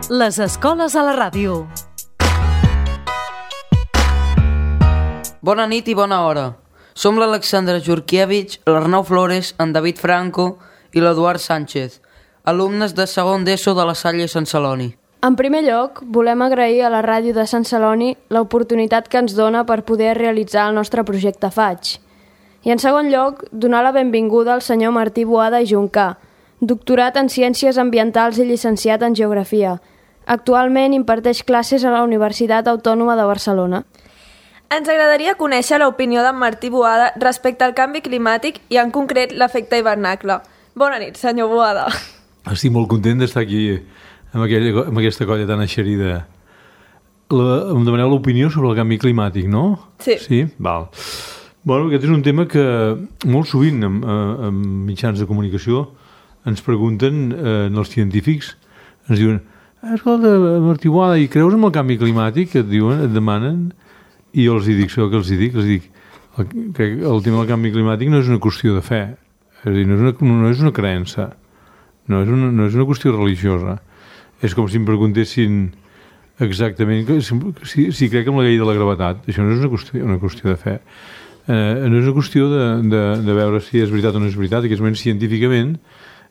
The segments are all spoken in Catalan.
Les escoles a la ràdio. Bona nit i bona hora. Som l'Alexandra Jurkiewicz, l'Arnau Flores, en David Franco i l'Eduard Sánchez, alumnes de segon d'ESO de la Salle Sant Celoni. En primer lloc, volem agrair a la ràdio de Sant Celoni l'oportunitat que ens dona per poder realitzar el nostre projecte FAIG. I en segon lloc, donar la benvinguda al senyor Martí Boada i Juncà, doctorat en Ciències Ambientals i llicenciat en Geografia. Actualment imparteix classes a la Universitat Autònoma de Barcelona. Ens agradaria conèixer l'opinió d'en Martí Boada respecte al canvi climàtic i en concret l'efecte hivernacle. Bona nit, senyor Boada. Estic molt content d'estar aquí amb aquesta colla tan eixerida. Em demaneu l'opinió sobre el canvi climàtic, no? Sí. Sí? Val. Bueno, aquest és un tema que molt sovint en mitjans de comunicació ens pregunten els científics, ens diuen: escolta, Martí Boada, i creus en el canvi climàtic? Et diuen, et demanen, i jo els dic, això que els dic, que el tema del canvi climàtic no és una qüestió de fe, és a dir, no és una creença, no és una qüestió religiosa. És com si em preguntessin exactament si crec en la llei de la gravetat. Això no és una qüestió de fe. No és una qüestió de veure si és veritat o no és veritat. En aquest moment, científicament,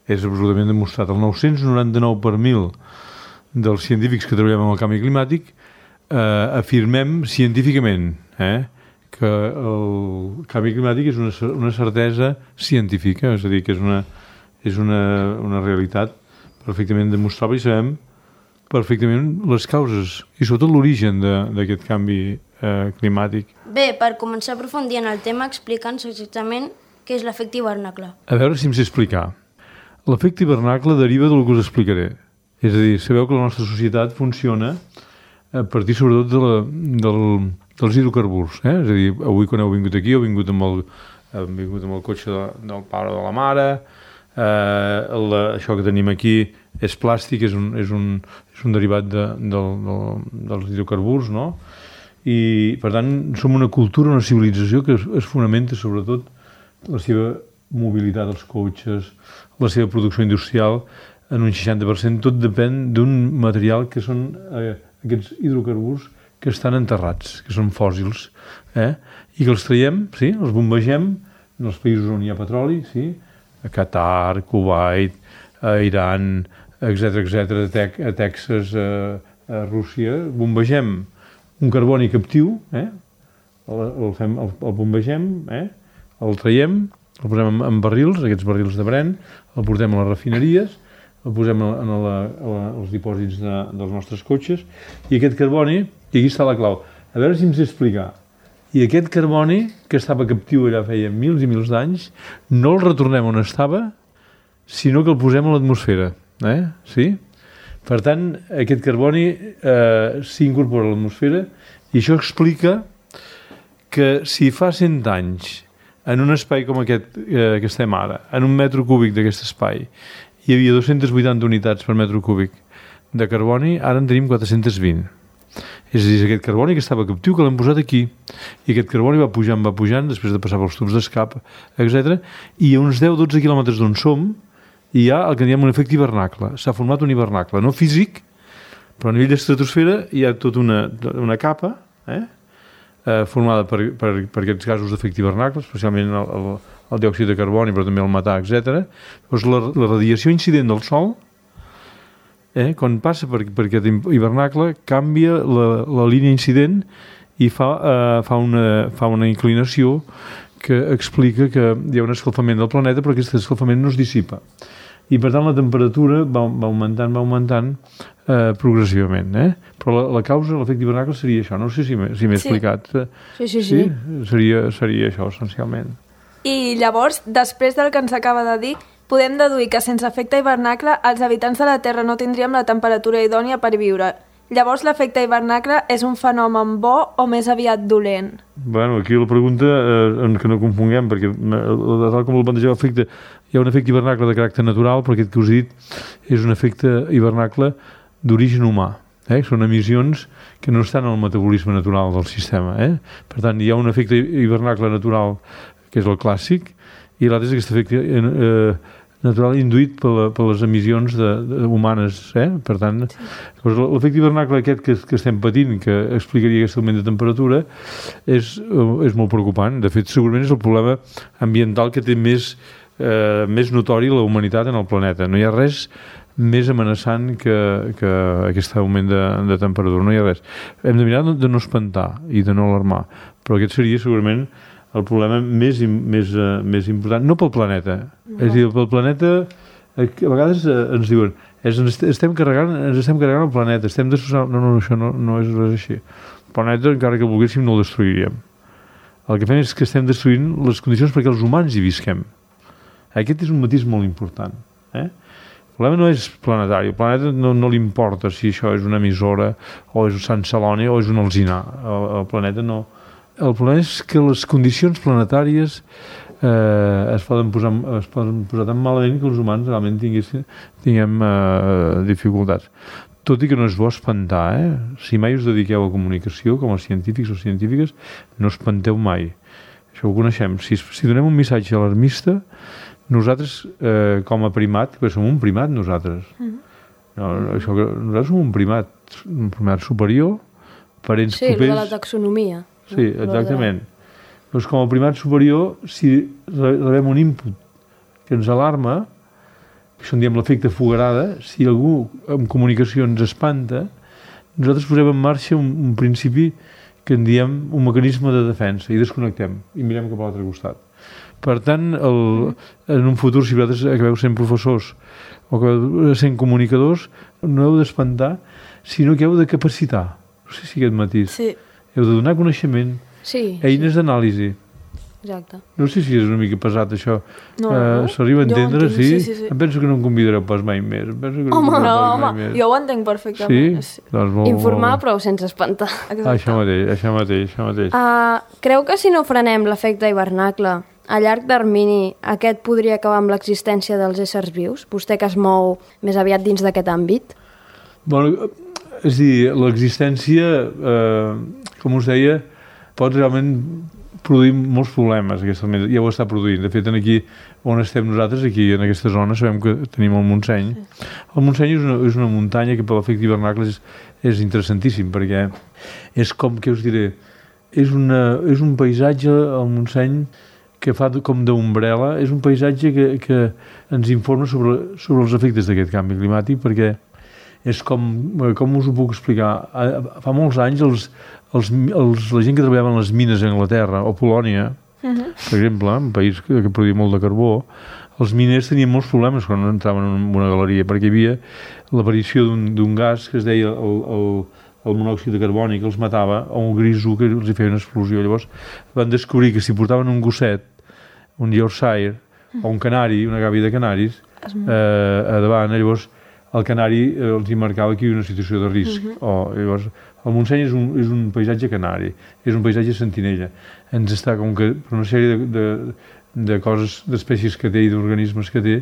és absolutament demostrat. El 999 per 1000 dels científics que treballem amb el canvi climàtic afirmem científicament que el canvi climàtic és una certesa científica, és a dir, que és una realitat perfectament demostrable i sabem perfectament les causes i sobretot l'origen d'aquest canvi climàtic. Bé, per començar a aprofundir en el tema, explica'ns exactament què és l'efecte hivernacle. A veure si em sé explicar. L'efecte hivernacle deriva del que us explicaré. És a dir, sabeu que la nostra societat funciona a partir sobretot dels hidrocarburs. És a dir, avui quan heu vingut aquí heu vingut amb el cotxe del pare o de la mare. Això que tenim aquí és plàstic, és un derivat dels hidrocarburs, no? I per tant som una cultura, una civilització que es fonamenta sobretot la seva mobilitat dels cotxes, la seva producció industrial en un 60%, tot depèn d'un material que són aquests hidrocarburs que estan enterrats, que són fòssils, i que els traiem, sí, els bombegem en els països on hi ha petroli, sí, a Qatar, Kuwait, a Iran, etc., a Texas, a Rússia, bombegem un carboni captiu, el bombegem, el traiem, el posem en barrils, aquests barrils de Brent, el portem a les refineries, el posem als dipòsits dels nostres cotxes, i aquest carboni, i aquí està la clau, a veure si em sé explicar, i aquest carboni, que estava captiu allà feia mils i mils d'anys, no el retornem on estava, sinó que el posem a l'atmosfera. Sí? Per tant, aquest carboni s'incorpora a l'atmosfera i això explica que si fa 100 anys en un espai com aquest que estem ara, en un metre cúbic d'aquest espai, hi havia 280 unitats per metre cúbic de carboni, ara en tenim 420. És a dir, aquest carboni que estava captiu, que l'hem posat aquí, i aquest carboni va pujant, després de passar pels tubs d'escap, etc. I a uns 10-12 quilòmetres d'on som, hi ha el que diem un efecte hivernacle. S'ha format un hivernacle, no físic, però a nivell d'estratosfera hi ha tota una capa formada per aquests gasos d'efecte hivernacle, especialment el diòxid de carboni, però també el metà, etc. Llavors, la radiació incident del Sol, quan passa per aquest hivernacle, canvia la línia incident i fa una inclinació que explica que hi ha un escalfament del planeta, però aquest escalfament no es dissipa. I per tant la temperatura va augmentant progressivament. Però la causa de l'efecte hivernacle seria això. No sé si m'he explicat. Sí. Seria això, essencialment. I llavors, després del que ens acaba de dir, podem deduir que sense efecte hivernacle els habitants de la Terra no tindríem la temperatura idònia per viure. Llavors l'efecte hivernacle és un fenomen bo o més aviat dolent? Bueno, aquí la pregunta, que no confonguem, perquè tal com el plantejava efecte, hi ha un efecte hivernacle de caràcter natural, però aquest que us he dit és un efecte hivernacle d'origen humà. Són emissions que no estan en el metabolisme natural del sistema. Per tant, hi ha un efecte hivernacle natural, que és el clàssic, i l'altre és aquest efecte natural induït per les emissions humanes. Per tant, l'efecte hivernacle aquest que estem patint, que explicaria aquest augment de temperatura, és molt preocupant. De fet, segurament és el problema ambiental que té més notori la humanitat en el planeta. No hi ha res més amenaçant que aquest augment de temperatura. No hi ha res. Hem de mirar de no espantar i de no alarmar, però aquest seria segurament el problema més important, no pel planeta. És a dir, pel planeta, a vegades ens diuen ens estem carregant el planeta, estem destruint... No, això no és res així. El planeta, encara que volguéssim, no el destruiríem. El que fem és que estem destruint les condicions perquè els humans hi visquem. Aquest és un matís molt important. El problema no és planetari, el planeta no li importa si això és una emissora o és Sant Celoni o és un alzinar. El planeta no... El problema és que les condicions planetàries es poden posar tan malament que els humans realment tinguem dificultats. Tot i que no és bo espantar, Si mai us dediqueu a comunicació, com a científics o científiques, no espanteu mai. Això ho coneixem. Si donem un missatge alarmista, nosaltres, com a primat, perquè som un primat nosaltres. Nosaltres som un primat superior, parents propers... Sí, de la taxonomia. Sí, exactament. Doncs com a primat superior, si rebem un input que ens alarma, això en diem l'efecte fogarada, si algú en comunicació ens espanta, nosaltres posem en marxa un principi que en diem un mecanisme de defensa i desconnectem i mirem cap a l'altre costat. Per tant, en un futur, si vosaltres acabeu sent professors o acabeu sent comunicadors, no heu d'espantar, sinó que heu de capacitar. No sé si aquest matís. Sí. Heu de donar coneixement, eines d'anàlisi. Exacte. No sé si és una mica pesat això. No. S'arriba a entendre, sí? Em penso que no em convidareu pas mai més. Home, jo ho entenc perfectament. Sí? Doncs informar, però sense espantar. Això mateix. Creu que si no frenem l'efecte hivernacle, a llarg termini aquest podria acabar amb l'existència dels éssers vius? Vostè que es mou més aviat dins d'aquest àmbit? Bueno, és a dir, l'existència, com us deia, pot realment produir molts problemes, ja ho està produint. De fet, aquí on estem nosaltres, aquí en aquesta zona, sabem que tenim el Montseny. El Montseny és una muntanya que per l'efecte hivernacle és interessantíssim, perquè és com, què us diré, és un paisatge, el Montseny, que fa com d'ombrela, és un paisatge que ens informa sobre els efectes d'aquest canvi climàtic, perquè és com us ho puc explicar, fa molts anys la gent que treballava en les mines a Anglaterra o Polònia, per exemple, un país que produïa molt de carbó, els miners tenien molts problemes quan entraven en una galeria, perquè hi havia l'aparició d'un gas que es deia el monòxid de carboni, que els matava, o un grisú que els feia una explosió. Llavors van descobrir que si portaven un gosset, un Yorkshire o un canari, una gàbia de canaris, a davant, llavors el canari els hi marcava aquí una situació de risc. Llavors, el Montseny és un paisatge canari, és un paisatge sentinella. Ens està, com que per una sèrie de coses, d'espècies que té i d'organismes que té,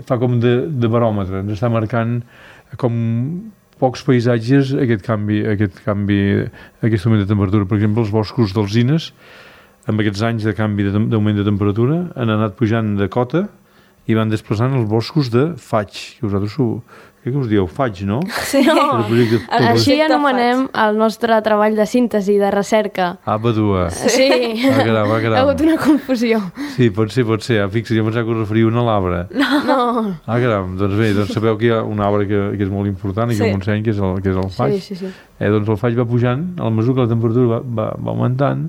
fa com de baròmetre, ens està marcant com pocs paisatges aquest canvi, aquest augment de temperatura. Per exemple, els boscos d'alzines, amb aquests anys de canvi d'augment de temperatura, han anat pujant de cota i van desplaçant els boscos de faig, que vosaltres què us dieu? Faig, no? Sí, no. Així anomenem el nostre treball de síntesi, de recerca. Badua. Sí. Caram. Ha hagut una confusió. Sí, pot ser. Fixa't, jo pensava que us referia a un arbre. No. Caram, doncs bé, sabeu que hi ha un arbre que és molt important i que el Montseny, que és el faig. Sí. Doncs el faig va pujant, a la mesura que la temperatura va augmentant,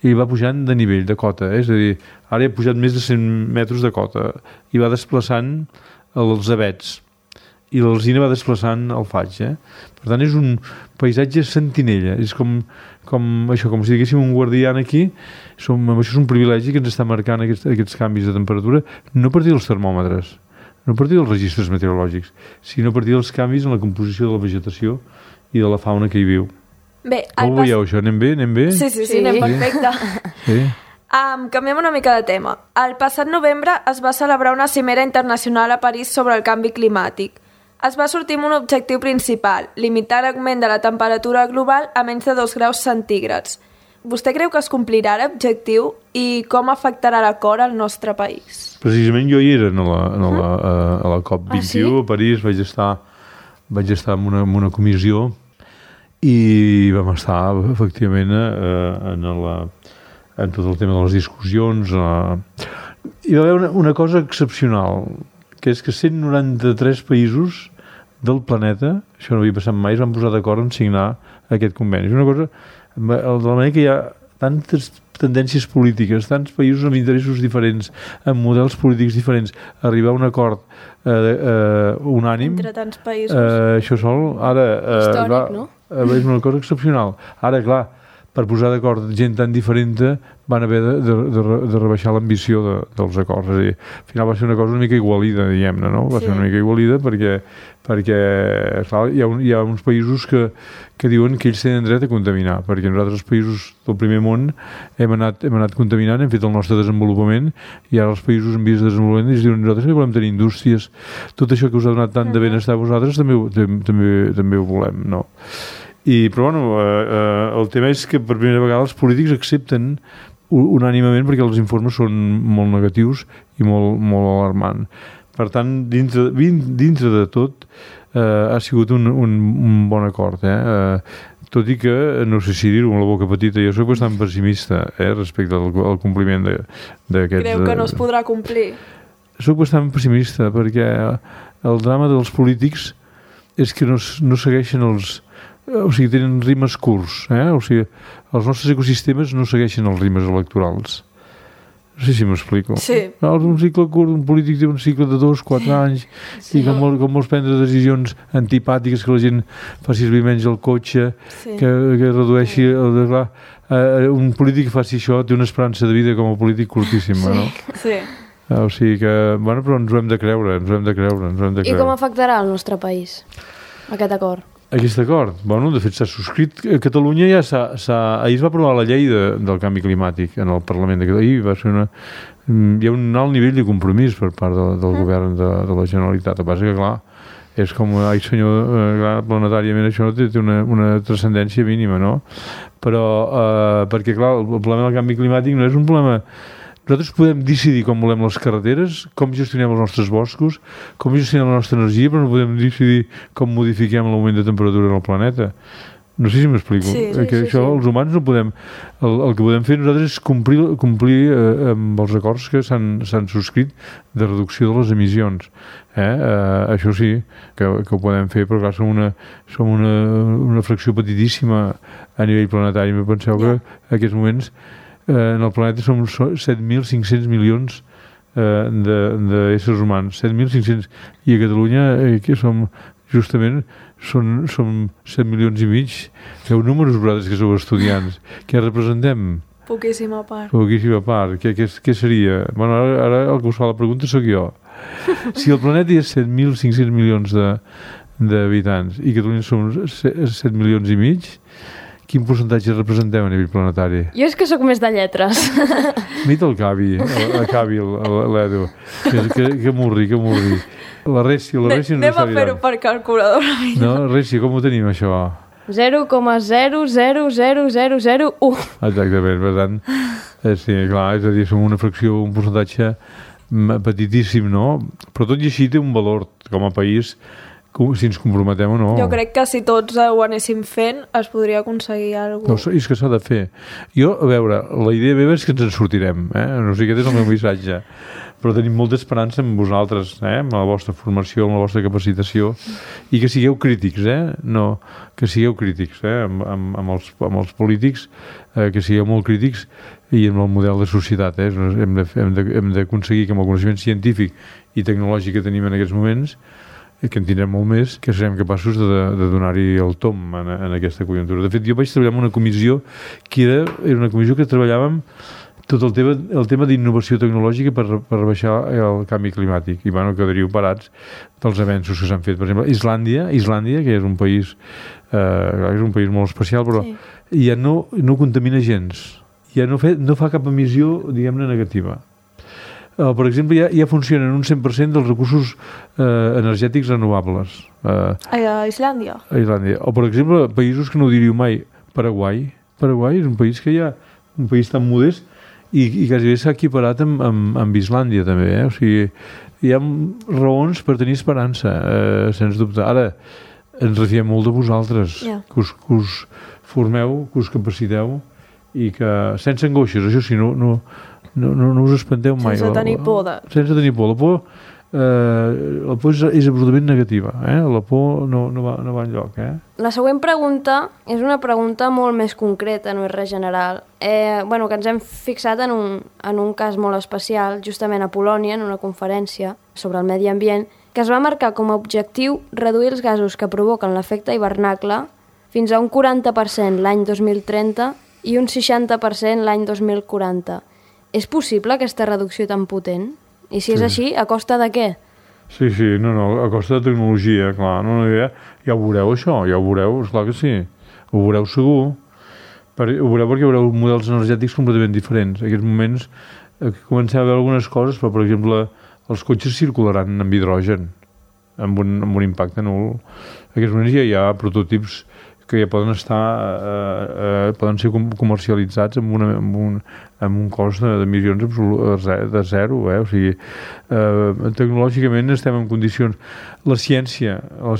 i va pujant de nivell, de cota. És a dir, ara ha pujat més de 100 metres de cota i va desplaçant els avets. I l'alzina va desplaçant el faig. Per tant, és un paisatge sentinella. És com si diguéssim un guardià aquí. Això és un privilegi que ens està marcant aquests canvis de temperatura, no a partir dels termòmetres, no a partir dels registres meteorològics, sinó a partir dels canvis en la composició de la vegetació i de la fauna que hi viu. Bé, com ho veieu, això? Anem bé? Sí, anem perfecte. Sí. Canviem una mica de tema. El passat novembre es va celebrar una cimera internacional a París sobre el canvi climàtic. Es va sortir amb un objectiu principal, limitar l'augment de la temperatura global a menys de 2 graus centígrads. vostè creu que es complirà l'objectiu i com afectarà l'acord al nostre país? Precisament jo hi era a la COP21 a París, vaig estar en una comissió i vam estar efectivament en tot el tema de les discussions. Hi va haver una cosa excepcional, que és que 193 països del planeta, això no havia passat mai, es van posar d'acord en signar aquest conveni. És una cosa, de la manera que hi ha tantes tendències polítiques, tants països amb interessos diferents, amb models polítics diferents, arribar a un acord unànim, entre tants països. Això sol, ara... Històric, no? És una cosa excepcional. Ara, clar, per posar d'acord gent tan diferent van haver de rebaixar l'ambició dels acords. És a dir, al final va ser una cosa una mica igualida, diguem-ne, no? Va ser una mica igualida perquè clar, hi ha uns països que diuen que ells tenen dret a contaminar, perquè nosaltres els països del primer món hem anat contaminant, hem fet el nostre desenvolupament i ara els països en vies de desenvolupament ells diuen nosaltres també volem tenir indústries, tot això que us ha donat tant de benestar a vosaltres també ho volem, no? Però bueno, el tema és que per primera vegada els polítics accepten unànimament perquè els informes són molt negatius i molt, molt alarmants. Per tant, dintre de tot ha sigut un bon acord, tot i que, no sé si dir-ho amb la boca petita, jo soc bastant pessimista respecte al compliment d'aquests... Creu que no es podrà complir? Soc bastant pessimista perquè el drama dels polítics és que no segueixen o sigui, tenen rimes curts, o sigui, els nostres ecosistemes no segueixen els rimes electorals. No sé si m'explico. Sí. Un cicle curt, un polític té un cicle de 2-4 anys i com vols prendre decisions antipàtiques, que la gent faci servir menys el cotxe, que redueixi... un polític que faci això té una esperança de vida com a polític curtíssima, no? Sí. O sigui que, bueno, però ens ho hem de creure, I com afectarà el nostre país, aquest acord? Aquest acord? Bueno, de fet s'ha subscrit. A Catalunya ja ahir es va aprovar la llei del canvi climàtic en el Parlament de Catalunya. Va ser hi ha un alt nivell de compromís per part del govern de la Generalitat. El que passa que, clar, és com, ai senyor, planetàriament això té una transcendència mínima, no? Però, perquè, clar, el problema del canvi climàtic no és un problema... Nosaltres podem decidir com volem les carreteres, com gestionem els nostres boscos, com gestionem la nostra energia, però no podem decidir com modifiquem l'augment de temperatura en el planeta. No sé si m'explico. Sí, els humans no podem... El que podem fer nosaltres és complir amb els acords que s'han subscrit de reducció de les emissions. Això sí, que ho podem fer, però clar, som una fracció petitíssima a nivell planetari. Penseu que en aquests moments en el planeta som 7.500 milions d'éssers humans, 7.500, i a Catalunya que som justament som 7 milions i mig. Feu números vosaltres que sou estudiants. Què representem? Poquíssima part. Què seria? Bueno, ara el que us fa la pregunta sóc jo. Si el planeta hi ha 7.500 milions d'habitants i Catalunya som 7 milions i mig, quin percentatge representem a nivell planetari? Jo és que sóc més de lletres. Mita el Cavi, l'Edu. Que murri. La Rècia no sabia. Anem a fer-ho per calculadora. No, Rècia, com ho tenim, això? 0,00001. Exactament, per tant, sí, clar, és a dir, som una fracció, un percentatge petitíssim, no? Però tot i així té un valor com a país, si ens comprometem o no. Jo crec que si tots ho anéssim fent es podria aconseguir alguna cosa. No, és que s'ha de fer. Jo, a veure, la idea meva és que ens en sortirem, no sé, aquest és el meu missatge, però tenim molta esperança en vosaltres, amb la vostra formació, amb la vostra capacitació, i que sigueu crítics, no, que sigueu crítics, amb els polítics, que sigueu molt crítics, i amb el model de societat, hem d'aconseguir que amb el coneixement científic i tecnològic que tenim en aquests moments, que en tindrem molt més, que serem capaços de donar-hi el tom en aquesta conjuntura. De fet, jo vaig treballar en una comissió que era una comissió que treballàvem tot el tema d'innovació tecnològica per rebaixar el canvi climàtic, i bueno, quedaríeu parats dels avenços que s'han fet. Per exemple, Islàndia, que és un país molt especial, però ja no contamina gens, ja no fa cap emissió, diguem-ne, negativa. Per exemple, ja funcionen un 100% dels recursos energètics renovables. A Islàndia? O, per exemple, països que no ho diríeu mai, Paraguai Paraguai és un país que hi ha un país tan modest i quasi s'ha equiparat amb Islàndia també, o sigui, hi ha raons per tenir esperança, sens dubte. Ara, ens refiem molt de vosaltres, que us formeu, que us capaciteu i que, sense angoixes, això sí, no us espanteu mai. Sense tenir por. Sense tenir por. La por és absolutament negativa, la por no va enlloc. La següent pregunta és una pregunta molt més concreta, no és res general. Que ens hem fixat en un cas molt especial, justament a Polònia, en una conferència sobre el medi ambient, que es va marcar com a objectiu reduir els gasos que provoquen l'efecte hivernacle fins a un 40% l'any 2030 i un 60% l'any 2040. És possible aquesta reducció tan potent? I si és així, a costa de què? Sí, a costa de tecnologia, clar. Ja ho veureu, això, ja ho veureu, esclar que sí. Ho veureu segur. Ho veureu perquè veureu models energètics completament diferents. En aquests moments comencem a veure algunes coses, però, per exemple, els cotxes circularan amb hidrogen, amb un impacte nul. En aquests moments ja hi ha prototips que ja poden ser comercialitzats amb un cost d'emissions de zero, o sigui, tecnològicament estem en condicions. La ciència ha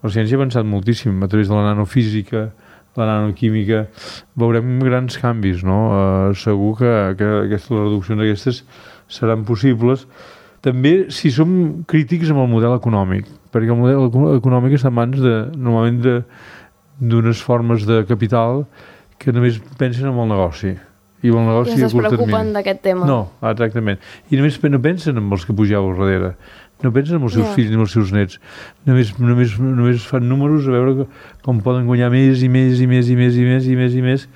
avançat moltíssim a través de la nanofísica, la nanoquímica, veurem grans canvis, no? Segur que les reduccions aquestes seran possibles. També si som crítics amb el model econòmic, perquè el model econòmic està en mans normalment d'unes formes de capital que només pensen en el negoci. I el negoci es despreocupen d'aquest tema. No, exactament. I només no pensen en els que pugeu al darrere. No pensen en els seus fills ni en els seus nets. Només fan números a veure com poden guanyar més i més i més i més i més i més i més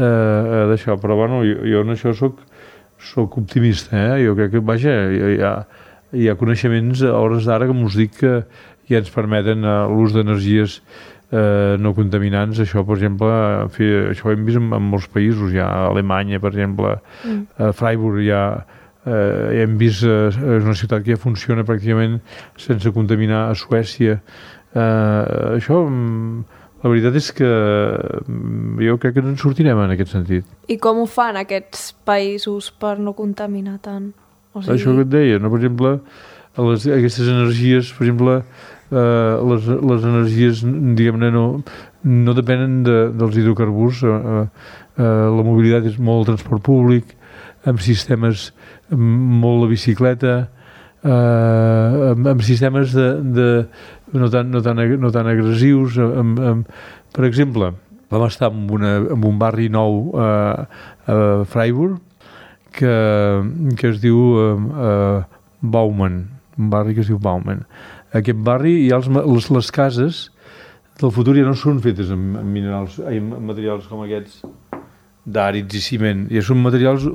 d'això. Però bueno, jo en això soc optimista, Jo crec que, vaja, hi ha coneixements a hores d'ara, com us dic, que ja ens permeten l'ús d'energies no contaminants. Això, per exemple, això ho hem vist en molts països, ja a Alemanya, per exemple, a Freiburg hem vist, és una ciutat que ja funciona pràcticament sense contaminar. A Suècia, això, la veritat és que jo crec que no ens sortirem en aquest sentit. I com ho fan aquests països per no contaminar tant? Això que et deia, no? Per exemple, aquestes energies, per exemple, les energies, diguem-ne, no depenen dels hidrocarburs. La mobilitat és molt el transport públic, amb sistemes molt la bicicleta, amb sistemes no tan agressius. Per exemple, vam estar en un barri nou a Freiburg que es diu Baumann, un barri que es diu Baumann. Aquest barri hi ha les cases del futur ja no són fetes amb materials com aquests d'àrids i ciment, ja són materials que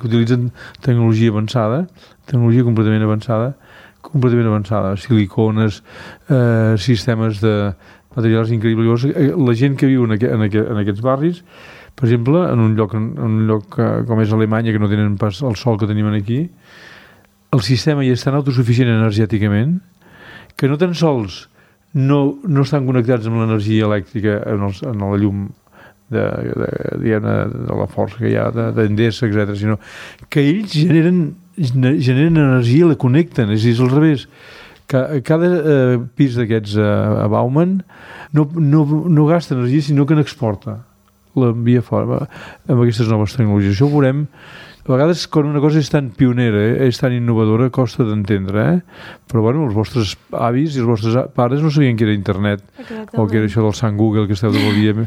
utilitzen tecnologia avançada, tecnologia completament avançada, silicones, sistemes de materials increïbles. La gent que viu en aquests barris, per exemple, en un lloc com és Alemanya, que no tenen pas el sol que tenim aquí, el sistema ja és tan autosuficient energèticament que no tan sols no estan connectats amb l'energia elèctrica en la llum de la força que hi ha d'Endesa, etc., sinó que ells generen energia i la connecten, és a dir, és al revés. Cada pis d'aquests a Baumann no gasta energia, sinó que n'exporta, l'envia fora amb aquestes noves tecnologies. Això ho veurem. A vegades, quan una cosa és tan pionera, és tan innovadora, costa d'entendre, però bueno, els vostres avis i els vostres pares no sabien que era internet. Exactament. O que era això del Sant Google que esteu de vol dir el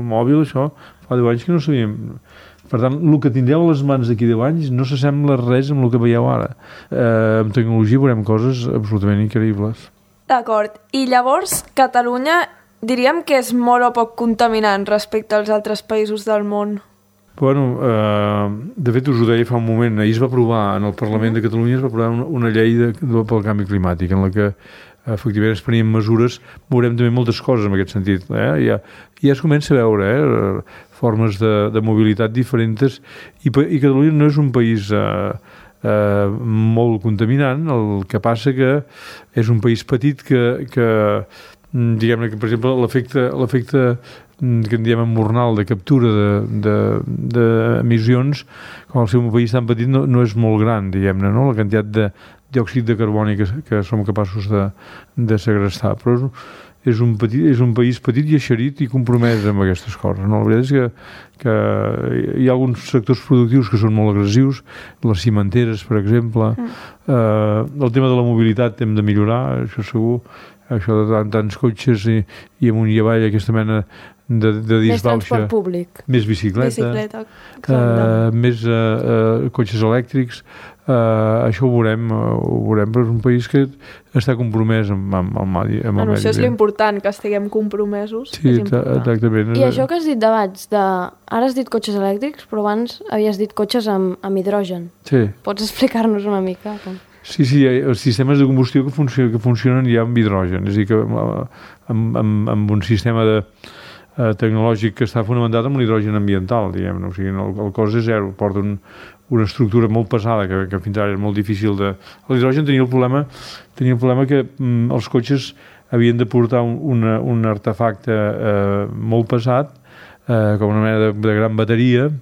mòbil, això fa 10 anys que no sabíem. Per tant, el que tindreu a les mans d'aquí 10 anys no s'assembla res amb el que veieu ara. Amb tecnologia veurem coses absolutament increïbles. D'acord. I llavors, Catalunya diríem que és molt o poc contaminant respecte als altres països del món? Bueno, de fet us ho deia fa un moment, ahir es va aprovar en el Parlament de Catalunya una llei pel canvi climàtic en la que efectivament es prenien mesures. Veurem també moltes coses en aquest sentit. Ja es comença a veure formes de mobilitat diferents i Catalunya no és un país molt contaminant. El que passa que és un país petit que diguem-ne que, per exemple, l'efecte que en diem emmornal de captura d'emissions, com al seu país tan petit no és molt gran, diguem-ne, no? La quantitat de diòxid de carboni que som capaços de segrestar, però és un país petit i eixerit i compromès amb aquestes coses, no? La veritat és que hi ha alguns sectors productius que són molt agressius, les cimenteres, per exemple, el tema de la mobilitat hem de millorar, això segur, això de tants cotxes i amunt i avall, aquesta mena de disbauxa. Més transport públic. Més bicicleta, més cotxes elèctrics. Això ho veurem, però és un país que està compromès amb el medi ambient. Això és l'important, que estiguem compromesos. Sí, exactament. I això que has dit d'abans, ara has dit cotxes elèctrics, però abans havies dit cotxes amb hidrogen. Sí. Pots explicar-nos una mica? Sí, hi ha els sistemes de combustió que funcionen ja amb hidrogen, és a dir, que amb un sistema tecnològic que està fonamentat en l'hidrogen ambiental, diguem-ne, o sigui, el cost és zero, porta una estructura molt pesada que fins ara és molt difícil de... L'hidrogen tenia el problema que els cotxes havien de portar un artefacte molt pesat, com una mena de gran bateria,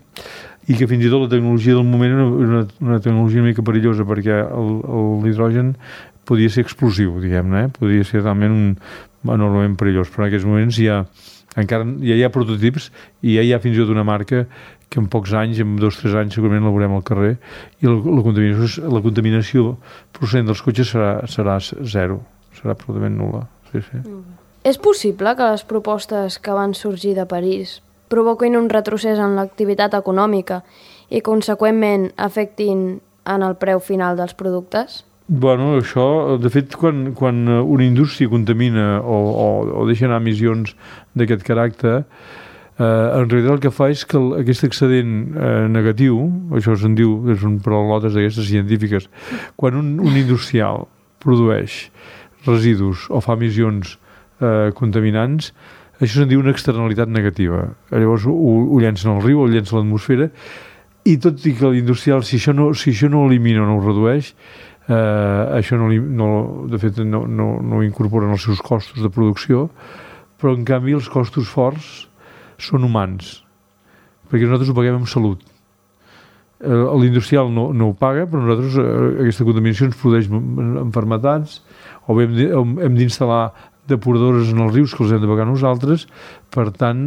i que fins i tot la tecnologia del moment era una tecnologia una mica perillosa, perquè l'hidrogen podia ser explosiu, diguem-ne, podia ser realment enormement perillós, però en aquests moments ja hi ha prototips i ja hi ha fins i tot una marca que en pocs anys, en 2 o 3 anys segurament la veurem al carrer, i la contaminació procedent dels cotxes serà zero, serà absolutament nul·la. Sí. És possible que les propostes que van sorgir de París provoquin un retrocés en l'activitat econòmica i, conseqüentment, afectin en el preu final dels productes? Bueno, això, de fet, quan una indústria contamina o deixa anar emissions d'aquest caràcter, en realitat el que fa és que aquest excedent negatiu, això se'n diu, són paraulotes d'aquestes científiques, quan un industrial produeix residus o fa emissions contaminants, això se'n diu una externalitat negativa. Llavors ho llencen al riu, ho llencen a l'atmosfera, i tot i que l'industrial, si això no ho elimina o no ho redueix, això de fet no ho incorporen els seus costos de producció, però en canvi els costos forts són humans, perquè nosaltres ho paguem amb salut. L'industrial no ho paga, però nosaltres aquesta contaminació ens produeix malalties, o bé hem d'instal·lar depuradores en els rius que els hem de pagar nosaltres. Per tant,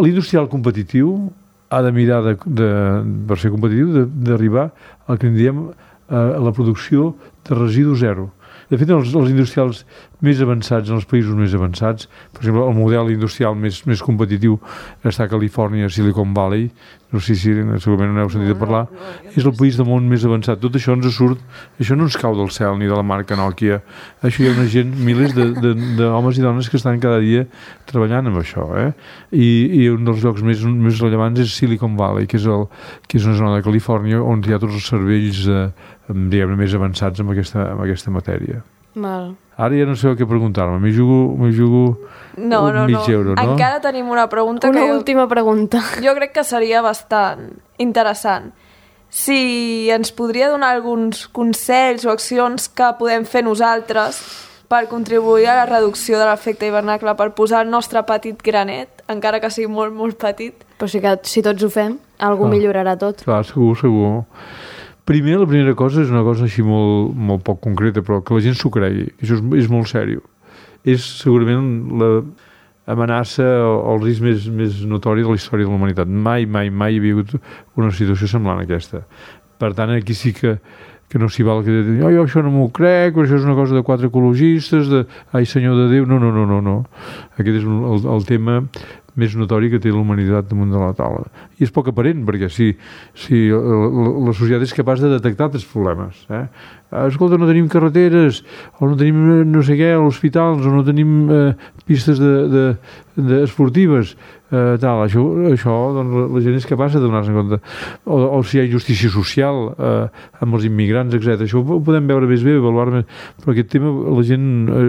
l'industrial competitiu ha de mirar, per ser competitiu, d'arribar al que en diem a la producció de residu zero. De fet, els industrials més avançats, en els països més avançats, per exemple, el model industrial més competitiu està a Califòrnia, Silicon Valley, no sé si segurament no n'heu sentit a parlar, és el país del món més avançat. Tot això ens surt, això no ens cau del cel ni de la marca Nokia. Això hi ha una gent, milers d'homes i dones que estan cada dia treballant amb això. I un dels llocs més rellevants és Silicon Valley, que és una zona de Califòrnia on hi ha tots els cervells més avançats amb aquesta matèria. Val. Ara ja no sé què preguntar-me, m'hi jugo mig euro, no? Encara tenim una pregunta. Última pregunta. Jo crec que seria bastant interessant. Si ens podria donar alguns consells o accions que podem fer nosaltres per contribuir a la reducció de l'efecte hivernacle, per posar el nostre petit granet, encara que sigui molt, molt petit. Però si tots ho fem, algú millorarà tot. Clar, segur. La primera cosa és una cosa així molt poc concreta, però que la gent s'ho cregui. Això és molt seriós. És segurament l'amenaça o el risc més notori de la història de la humanitat. Mai hi havia hagut una situació semblant a aquesta. Per tant, aquí sí que no s'hi val que dir, jo això no m'ho crec, això és una cosa de 4 ecologistes, ai senyor de Déu, no. Aquest és el tema més notori que té la humanitat damunt de la taula. I és poc aparent, perquè si la societat és capaç de detectar els problemes. Escolta, no tenim carreteres, o no tenim no sé què, hospitals, o no tenim pistes esportives, això doncs, la gent és capaç de donar-se compte. O si hi ha injustícia social amb els immigrants, etc. Això ho podem veure més bé, avaluar més, però aquest tema la gent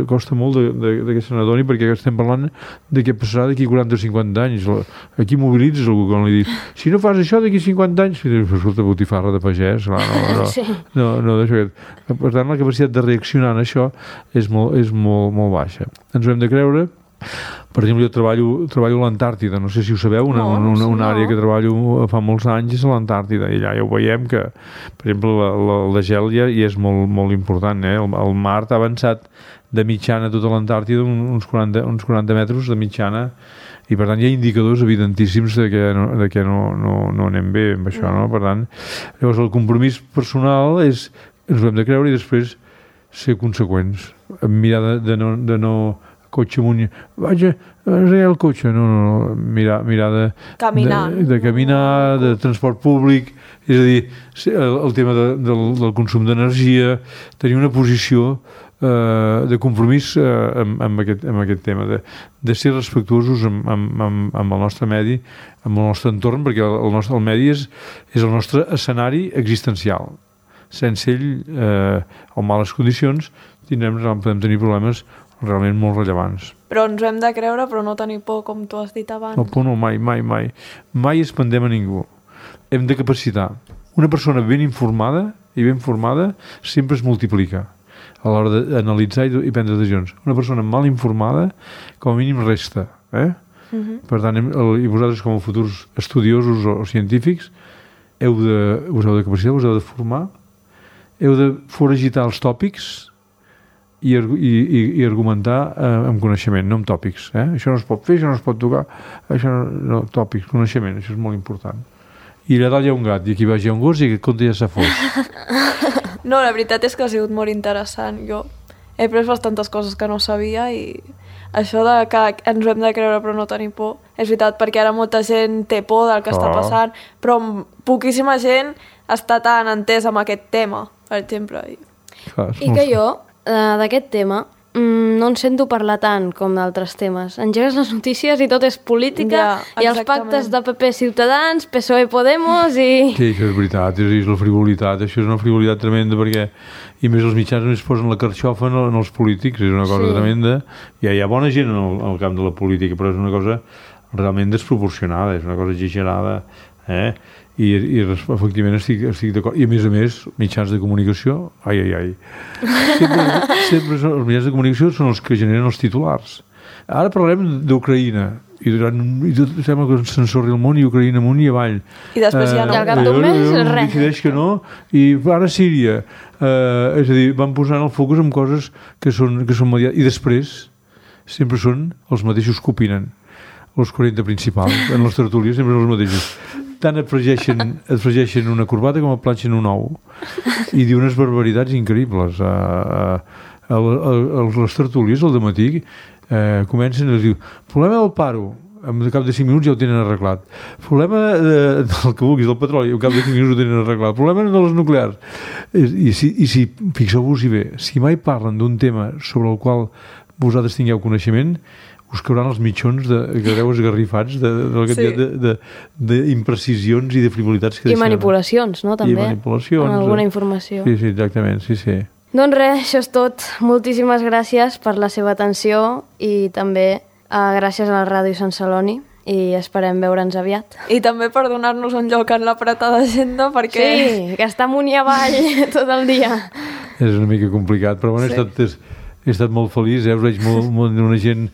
costa molt de que se n'adoni, perquè estem parlant de què passarà d'aquí 40 o 50 anys, aquí mobilitzes algú quan li dius, si no fas això d'aquí 50 anys, escolta, botifarra de pagès, clar, no, per tant la capacitat de reaccionar en això és molt baixa. Ens ho hem de creure. Per exemple, jo treballo a l'Antàrtida, no sé si ho sabeu, una àrea que treballo fa molts anys és a l'Antàrtida, i allà ja ho veiem que, per exemple, el de gel ja és molt important, el mar ha avançat de mitjana a tota l'Antàrtida uns 40 metres de mitjana, i per tant hi ha indicadors evidentíssims de que no anem bé amb això, no? Per tant, llavors el compromís personal ens ho hem de creure i després ser conseqüents, mirar de no cotxe amunt, vaig a ensenyar el cotxe, no, mirar de caminar, de transport públic, és a dir, el tema del consum d'energia, tenir una posició de compromís amb aquest tema, de ser respectuosos amb el nostre medi, amb el nostre entorn, perquè el medi és el nostre escenari existencial. Sense ell, o en males condicions, podem tenir problemes realment molt rellevants. Però ens ho hem de creure, però no tenir por, com tu has dit abans. No, por no, mai. Mai espandem a ningú. Hem de capacitar. Una persona ben informada i ben formada sempre es multiplica a l'hora d'analitzar i prendre decisions. Una persona mal informada, com a mínim, resta. Per tant, i vosaltres, com a futurs estudiosos o científics, us heu de capacitar, us heu de formar, heu de foragitar els tòpics i argumentar amb coneixement, no amb tòpics. Això no es pot fer, això no es pot tocar, tòpics, coneixement, això és molt important. I allà dalt hi ha un gat, i aquí baix hi ha un gos i aquest conte ja s'ha fos. No, la veritat és que ha sigut molt interessant. Jo he après bastantes coses que no sabia i això de que ens ho hem de creure però no tenir por, és veritat, perquè ara molta gent té por del que està passant, però poquíssima gent està tan entesa amb aquest tema, per exemple. I que jo, d'aquest tema, no en sento parlar tant com d'altres temes. Engegues les notícies i tot és política, i els pactes de PP Ciutadans, PSOE Podemos i... Sí, això és veritat, és la frivolitat, això és una frivolitat tremenda perquè, i més els mitjans només posen la carxofa en els polítics, és una cosa tremenda. Hi ha bona gent en el camp de la política, però és una cosa realment desproporcionada, és una cosa exagerada, i efectivament estic d'acord. I a més, mitjans de comunicació, sempre els mitjans de comunicació són els que generen els titulars. Ara parlem d'Ucraïna, i sembla que s'ensorri el món i Ucraïna amunt i avall. I després ja no. I al cap d'un mes, res. Decideix que no, i ara Síria. És a dir, van posant el focus en coses que són mediàtiques, i després sempre són els mateixos que opinen. Els 40 principals, en les tertúlies sempre són els mateixos. Tant et fregeixen una corbata com et planxen un ou. I diu unes barbaritats increïbles. Les tertúlies, al dematí, comencen a dir, problema del paro, al cap de 5 minuts ja ho tenen arreglat. Problema del que vulguis, del petroli, al cap de 5 minuts ho tenen arreglat. Problema de les nuclears. I si fixeu-vos-hi bé, si mai parlen d'un tema sobre el qual vosaltres tingueu coneixement, us cauran els mitjons que deu esgarrifats de la quantitat d'imprecisions i de frivolitats que deixen. I manipulacions, no? També. I manipulacions. En alguna informació. Sí, exactament, sí. Doncs res, això és tot. Moltíssimes gràcies per la seva atenció i també gràcies a la Ràdio Sant Celoni i esperem veure'ns aviat. I també per donar-nos un lloc en l'apretada agenda perquè... Sí, que està amunt i avall tot el dia. És una mica complicat, però bueno, he estat molt feliç, us veig molt una gent...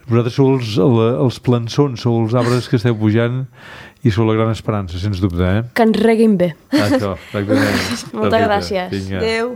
Vosaltres sou els plançons, sou els arbres que esteu pujant i sou la gran esperança, sens dubte. Que ens reguin bé. Això, exactament. Moltes gràcies. Vinga. Adéu.